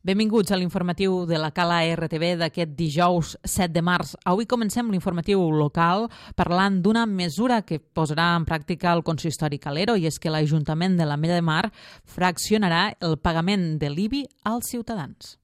Benvinguts a l'informatiu de la Cala RTV d'aquest dijous 7 de març. Avui comencem l'informatiu local parlant d'una mesura que posarà en pràctica el consistori Calero, i és que l'Ajuntament de l'Ametlla de Mar fraccionarà el pagament de l'IBI als ciutadans.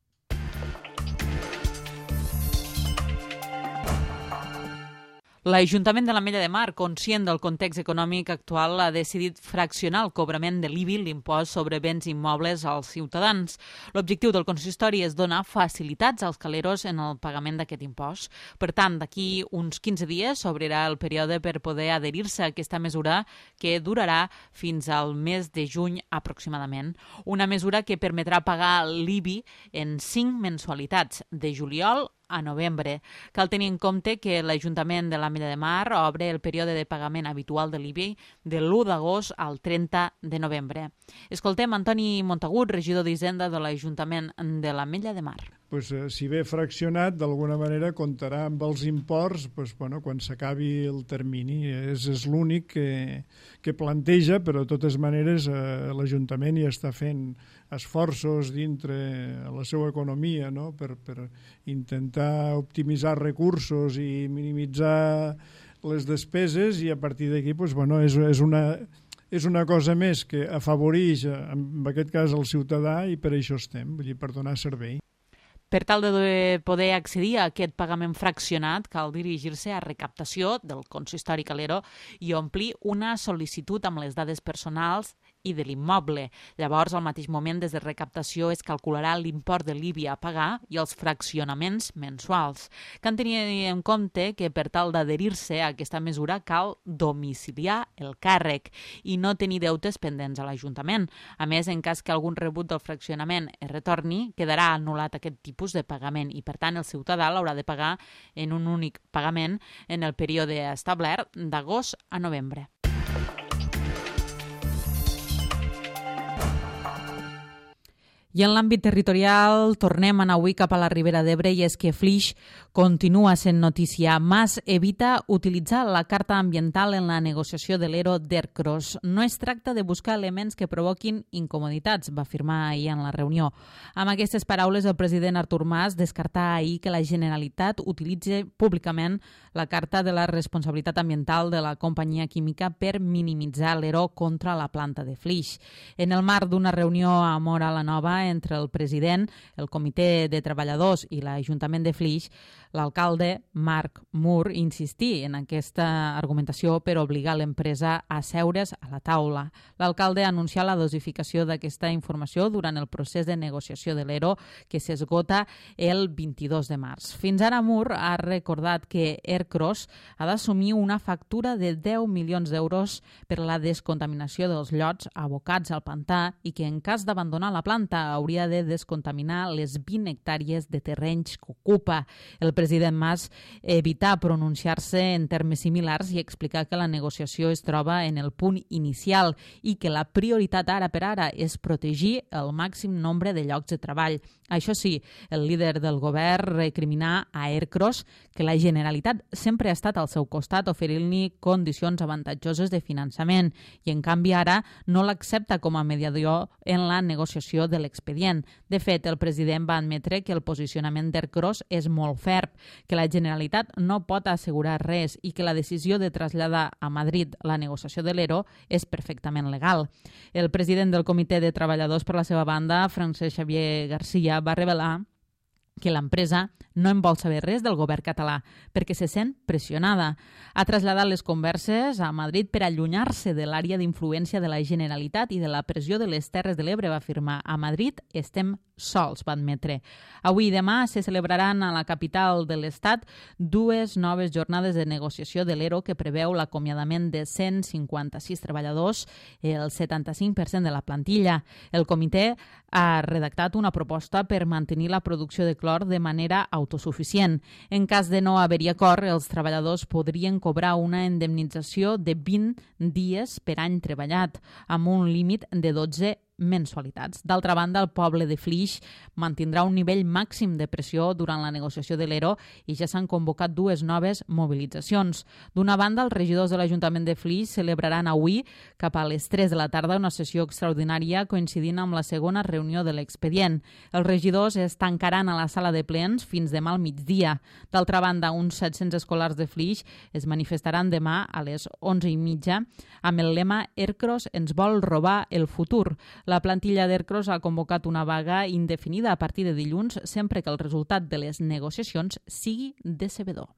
L'Ajuntament de l'Ametlla de Mar, conscient del context econòmic actual, ha decidit fraccionar el cobrament de l'IBI, l'impost sobre béns immobles, als ciutadans. L'objectiu del consistori és donar facilitats als caleros en el pagament d'aquest impost. Per tant, d'aquí uns 15 dies s'obrirà el període per poder adherir-se a aquesta mesura, que durarà fins al mes de juny aproximadament. Una mesura que permetrà pagar l'IBI en 5 mensualitats, de juliol a novembre. Cal tenir en compte que l'Ajuntament de l'Ametlla de Mar obre el període de pagament habitual de l'IBI de l'1 d'agost al 30 de novembre. Escoltem Antoni Montagut, regidor d'Hisenda de l'Ajuntament de l'Ametlla de Mar. Si ve fraccionat, d'alguna manera comptarà amb els imports quan s'acabi el termini. És l'únic que planteja, però de totes maneres l'Ajuntament ja està fent esforços dintre la seva economia, no? per intentar optimitzar recursos i minimitzar les despeses, i a partir d'aquí és una cosa més que afavoreix, en aquest cas, el ciutadà, i per això estem, per donar servei. Per tal de poder accedir a aquest pagament fraccionat, cal dirigir-se a recaptació del consistori Calero i omplir una sol·licitud amb les dades personals i de l'immoble. Llavors, al mateix moment, des de recaptació es calcularà l'import de l'IBI a pagar i els fraccionaments mensuals. Cal tenir en compte que per tal d'adherir-se a aquesta mesura cal domiciliar el càrrec i no tenir deutes pendents a l'Ajuntament. A més, en cas que algun rebut del fraccionament es retorni, quedarà anul·lat aquest tipus de pagament i, per tant, el ciutadà l'haurà de pagar en un únic pagament en el període establert d'agost a novembre. I en l'àmbit territorial tornem a anar avui cap a la Ribera d'Ebre, i és que Flix continua sent notícia. Mas evita utilitzar la carta ambiental en la negociació de l'ERO d'Ercros. No es tracta de buscar elements que provoquin incomoditats, va afirmar ahir en la reunió. Amb aquestes paraules, el president Artur Mas descartà ahir que la Generalitat utilitzi públicament la carta de la responsabilitat ambiental de la companyia química per minimitzar l'ERO contra la planta de Flix. En el marc d'una reunió a Móra la Nova entre el president, el comitè de treballadors i l'Ajuntament de Flix, l'alcalde Marc Mur insistí en aquesta argumentació per obligar l'empresa a seure's a la taula. L'alcalde anuncià la dosificació d'aquesta informació durant el procés de negociació de l'ERO, que s'esgota el 22 de març. Fins ara, Mur ha recordat que Ercros ha d'assumir una factura de 10 milions d'euros per la descontaminació dels llots abocats al pantà i que en cas d'abandonar la planta hauria de descontaminar les 20 hectàrees de terrenys que ocupa. El president Mas evità pronunciar-se en termes similars i explicar que la negociació es troba en el punt inicial i que la prioritat ara per ara és protegir el màxim nombre de llocs de treball. Això sí, el líder del govern recriminà a Ercros que la Generalitat sempre ha estat al seu costat oferint-li condicions avantatjoses de finançament i, en canvi, ara no l'accepta com a mediador en la negociació de l'expedient. De fet, el president va admetre que el posicionament d'Ercros és molt ferm, que la Generalitat no pot assegurar res i que la decisió de traslladar a Madrid la negociació de l'ERO és perfectament legal. El president del Comitè de Treballadors, per la seva banda, Francesc Xavier Garcia, va revelar que l'empresa no en vol saber res del govern català perquè se sent pressionada. Ha traslladat les converses a Madrid per allunyar-se de l'àrea d'influència de la Generalitat i de la pressió de les Terres de l'Ebre, va afirmar. A Madrid estem sols, va admetre. Avui i demà se celebraran a la capital de l'Estat 2 noves jornades de negociació de l'ERO que preveu l'acomiadament de 156 treballadors, el 75% de la plantilla. El comitè ha redactat una proposta per mantenir la producció de clor de manera autosuficient. En cas de no haver-hi acord, els treballadors podrien cobrar una indemnització de 20 dies per any treballat, amb un límit de 12 mensualitats. D'altra banda, el poble de Flix mantindrà un nivell màxim de pressió durant la negociació de l'ERO i ja s'han convocat 2 noves mobilitzacions. D'una banda, els regidors de l'Ajuntament de Flix celebraran avui, cap a les 3 de la tarda, una sessió extraordinària coincidint amb la segona reunió de l'expedient. Els regidors es tancaran a la sala de plens fins demà al migdia. D'altra banda, uns 700 escolars de Flix es manifestaran demà a les 11:30 amb el lema Ercros ens vol robar el futur. La plantilla d'Ercros ha convocat una vaga indefinida a partir de dilluns sempre que el resultat de les negociacions sigui decebedor.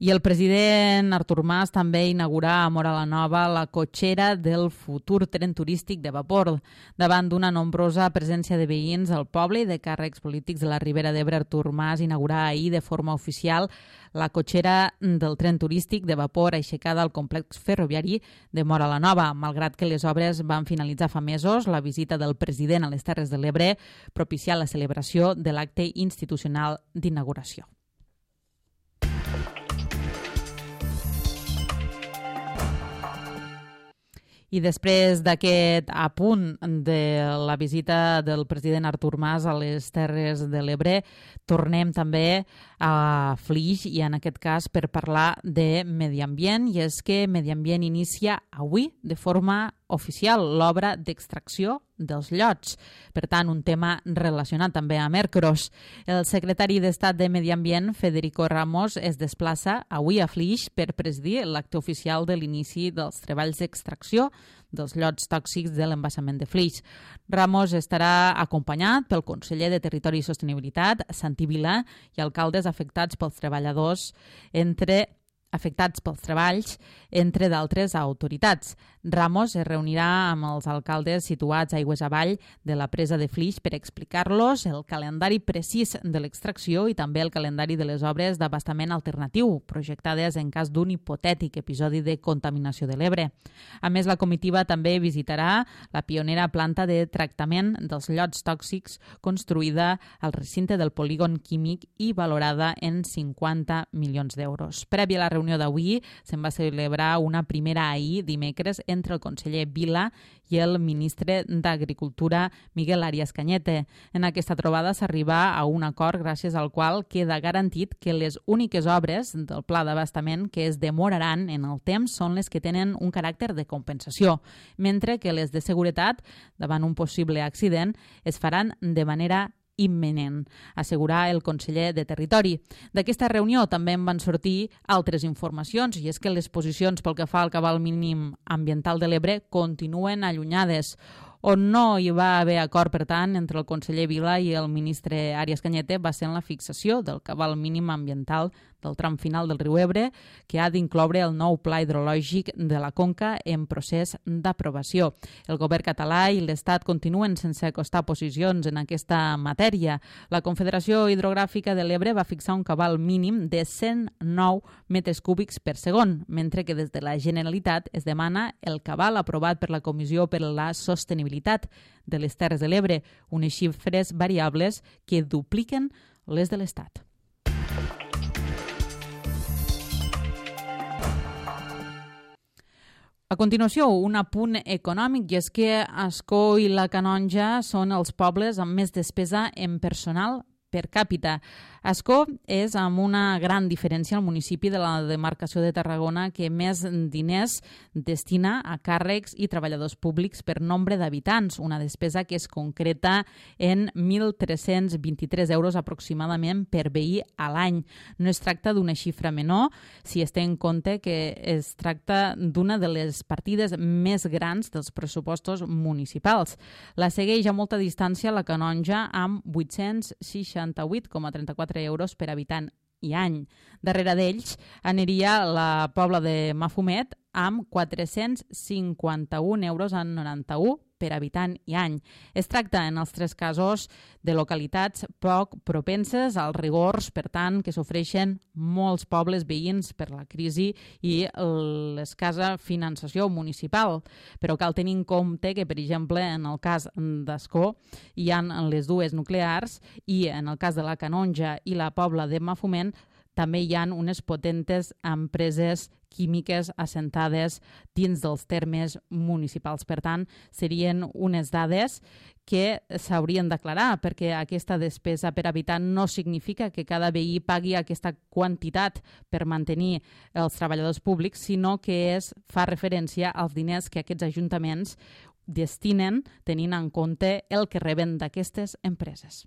I el president Artur Mas també inaugurà a Móra la Nova la cotxera del futur tren turístic de vapor. Davant d'una nombrosa presència de veïns al poble i de càrrecs polítics de la Ribera d'Ebre, Artur Mas inaugurà ahir de forma oficial la cotxera del tren turístic de vapor aixecada al complex ferroviari de Móra la Nova. Malgrat que les obres van finalitzar fa mesos, la visita del president a les Terres de l'Ebre propicià la celebració de l'acte institucional d'inauguració. I després d'aquest apunt de la visita del president Artur Mas a les Terres de l'Ebre, tornem també a Flix i en aquest cas per parlar de medi ambient, i és que Medi Ambient inicia avui de forma oficial l'obra d'extracció dels llots. Per tant, un tema relacionat també amb Ercros. El secretari d'Estat de Medi Ambient, Federico Ramos, es desplaça avui a Flix per presidir l'acte oficial de l'inici dels treballs d'extracció dels llots tòxics de l'embassament de Flix. Ramos estarà acompanyat pel conseller de Territori i Sostenibilitat, Santi Vila, i alcaldes afectats pels treballs, entre d'altres autoritats. Ramos es reunirà amb els alcaldes situats aigües avall de la presa de Flix per explicar-los el calendari precís de l'extracció i també el calendari de les obres d'abastament alternatiu projectades en cas d'un hipotètic episodi de contaminació de l'Ebre. A més, la comitiva també visitarà la pionera planta de tractament dels llots tòxics construïda al recinte del polígon químic i valorada en 50 milions d'euros. Prèvia a la reunió d'avui, se'n va celebrar una primera ahir, dimecres, entre el conseller Vila i el ministre d'Agricultura, Miguel Arias Cañete. En aquesta trobada s'arriba a un acord gràcies al qual queda garantit que les úniques obres del pla d'abastament que es demoraran en el temps són les que tenen un caràcter de compensació, mentre que les de seguretat, davant un possible accident, es faran de manera imminent, assegurar el conseller de Territori. D'aquesta reunió també en van sortir altres informacions, i és que les posicions pel que fa al cabal mínim ambiental de l'Ebre continuen allunyades. On no hi va haver acord, per tant, entre el conseller Vila i el ministre Arias Cañete va ser en la fixació del cabal mínim ambiental del tram final del riu Ebre, que ha d'incloure el nou pla hidrològic de la Conca en procés d'aprovació. El govern català i l'Estat continuen sense acostar posicions en aquesta matèria. La Confederació Hidrogràfica de l'Ebre va fixar un cabal mínim de 109 metres cúbics per segon, mentre que des de la Generalitat es demana el cabal aprovat per la Comissió per a la Sostenibilitat de les Terres de l'Ebre, unes xifres variables que dupliquen les de l'Estat. A continuació, un apunt econòmic, i és que Ascó i la Canonja són els pobles amb més despesa en personal per càpita. Ascó és amb una gran diferència el municipi de la demarcació de Tarragona que més diners destina a càrrecs i treballadors públics per nombre d'habitants, una despesa que es concreta en 1.323 euros aproximadament per veí a l'any. No es tracta d'una xifra menor si es té en compte que es tracta d'una de les partides més grans dels pressupostos municipals. La segueix a molta distància la Canonja amb 868,34 euros per habitant i any. Darrere d'ells aniria la Pobla de Mafumet amb 451,91 euros per habitant i any. Es tracta, en els tres casos, de localitats poc propenses als rigors, per tant, que s'ofreixen molts pobles veïns per la crisi i l'escassa finançació municipal. Però cal tenir en compte que, per exemple, en el cas d'Ascó hi ha les dues nuclears i en el cas de la Canonja i la Pobla de Mafumet també hi ha unes potentes empreses químiques assentades dins dels termes municipals. Per tant, serien unes dades que s'haurien d'aclarar, perquè aquesta despesa per habitant no significa que cada veí pagui aquesta quantitat per mantenir els treballadors públics, sinó que fa referència als diners que aquests ajuntaments destinen tenint en compte el que reben d'aquestes empreses.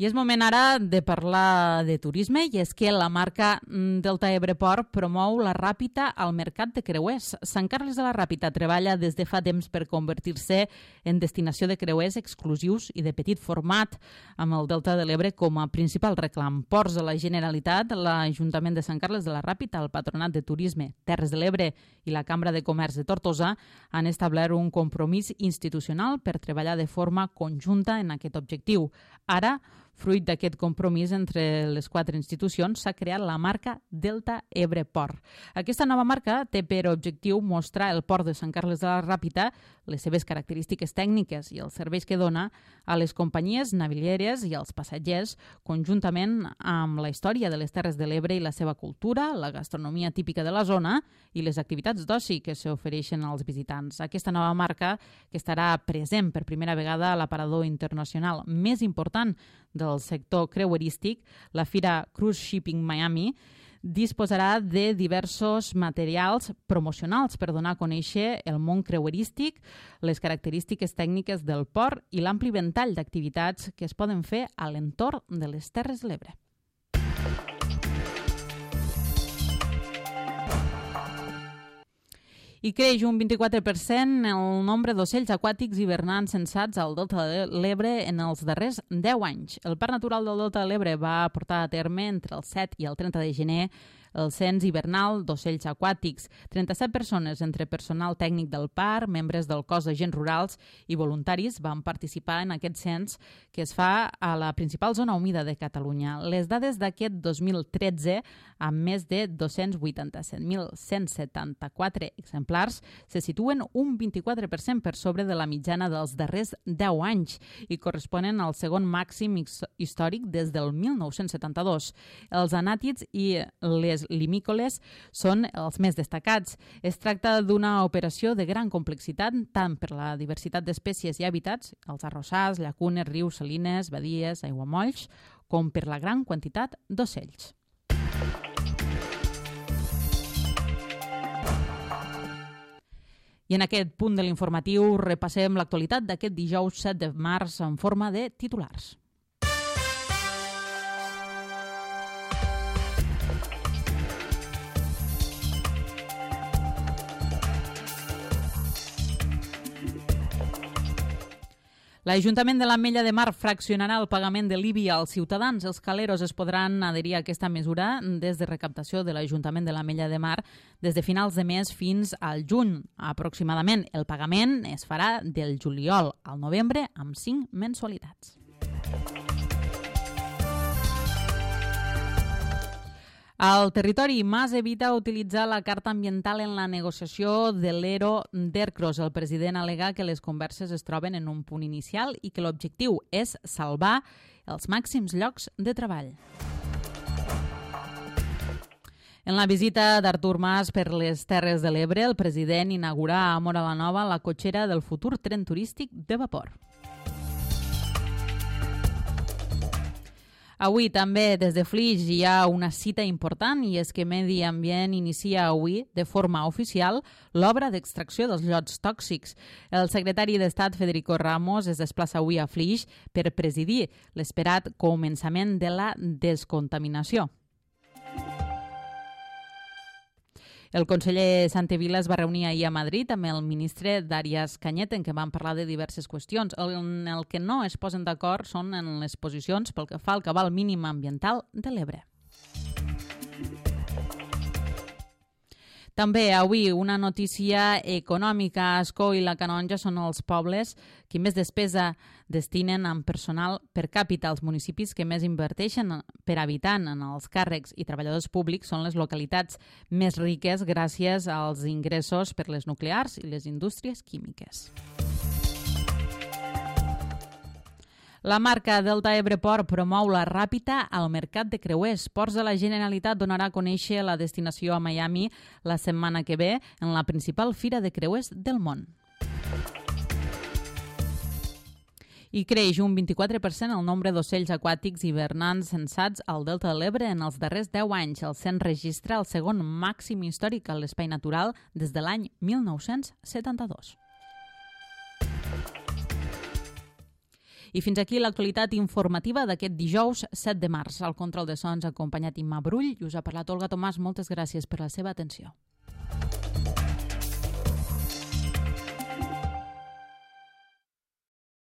I és moment ara de parlar de turisme, i és que la marca Delta Ebre Port promou la Ràpita al mercat de creuers. Sant Carles de la Ràpita treballa des de fa temps per convertir-se en destinació de creuers exclusius i de petit format, amb el Delta de l'Ebre com a principal reclam. Ports de la Generalitat, l'Ajuntament de Sant Carles de la Ràpita, el Patronat de Turisme, Terres de l'Ebre i la Cambra de Comerç de Tortosa han establert un compromís institucional per treballar de forma conjunta en aquest objectiu. Ara, fruit d'aquest compromís entre les 4 institucions, s'ha creat la marca Delta Ebre Port. Aquesta nova marca té per objectiu mostrar el port de Sant Carles de la Ràpita, les seves característiques tècniques i els serveis que dona a les companyies navilieres i als passatgers, conjuntament amb la història de les Terres de l'Ebre i la seva cultura, la gastronomia típica de la zona i les activitats d'oci que s'ofereixen als visitants. Aquesta nova marca, que estarà present per primera vegada a l'aparador internacional més important del sector creuerístic, la Fira Cruise Shipping Miami, disposarà de diversos materials promocionals per donar a conèixer el món creuerístic, les característiques tècniques del port i l'ampli ventall d'activitats que es poden fer a l'entorn de les Terres de l'Ebre. I creix un 24% el nombre d'ocells aquàtics hivernants censats al Delta de l'Ebre en els darrers 10 anys. El Parc Natural del Delta de l'Ebre va portar a terme entre el 7 i el 30 de gener el cens hivernal d'ocells aquàtics. 37 persones, entre personal tècnic del parc, membres del cos d'agents rurals i voluntaris, van participar en aquest cens que es fa a la principal zona humida de Catalunya. Les dades d'aquest 2013, amb més de 287.174 exemplars, se situen un 24% per sobre de la mitjana dels darrers 10 anys i corresponen al segon màxim històric des del 1972. Els anàtids i les limícoles són els més destacats. Es tracta d'una operació de gran complexitat, tant per la diversitat d'espècies i hàbitats, els arrossars, llacunes, rius, salines, badies, aiguamolls, com per la gran quantitat d'ocells. I en aquest punt de l'informatiu repassem l'actualitat d'aquest dijous 7 de març en forma de titulars. L'Ajuntament de l'Ametlla de Mar fraccionarà el pagament de l'IBI als ciutadans. Els caleros es podran adherir a aquesta mesura des de recaptació de l'Ajuntament de l'Ametlla de Mar des de finals de mes fins al juny, aproximadament. El pagament es farà del juliol al novembre amb 5 mensualitats. Al territori, Mas evita utilitzar la carta ambiental en la negociació de l'ERO d'Ercros. El president al·lega que les converses es troben en un punt inicial i que l'objectiu és salvar els màxims llocs de treball. En la visita d'Artur Mas per les Terres de l'Ebre, el president inaugurà a Móra la Nova la cotxera del futur tren turístic de vapor. Avui també des de Flix hi ha una cita important i és que Medi Ambient inicia avui de forma oficial l'obra d'extracció dels llots tòxics. El secretari d'Estat Federico Ramos es desplaça avui a Flix per presidir l'esperat començament de la descontaminació. El conseller Santevila es va reunir ahir a Madrid amb el ministre Darias Cañete, en què van parlar de diverses qüestions. En el que no es posen d'acord són en les posicions pel que fa al cabal mínim ambiental de l'Ebre. També avui una notícia econòmica. Ascó i la Canonja són els pobles que més despesa destinen en personal per càpita. Els municipis que més inverteixen per habitant en els càrrecs i treballadors públics són les localitats més riques gràcies als ingressos per les nuclears i les indústries químiques. La marca Delta Ebre Port promou la Ràpita al mercat de creuers. Ports de la Generalitat donarà a conèixer la destinació a Miami la setmana que ve en la principal fira de creuers del món. I creix un 24% el nombre d'ocells aquàtics hivernants censats al Delta de l'Ebre en els darrers 10 anys. El cens registra el segon màxim històric a l'espai natural des de l'any 1972. I fins aquí l'actualitat informativa d'aquest dijous 7 de març. Al control de sons ha acompanyat Imma Brull i us ha parlat Olga Tomàs. Moltes gràcies per la seva atenció.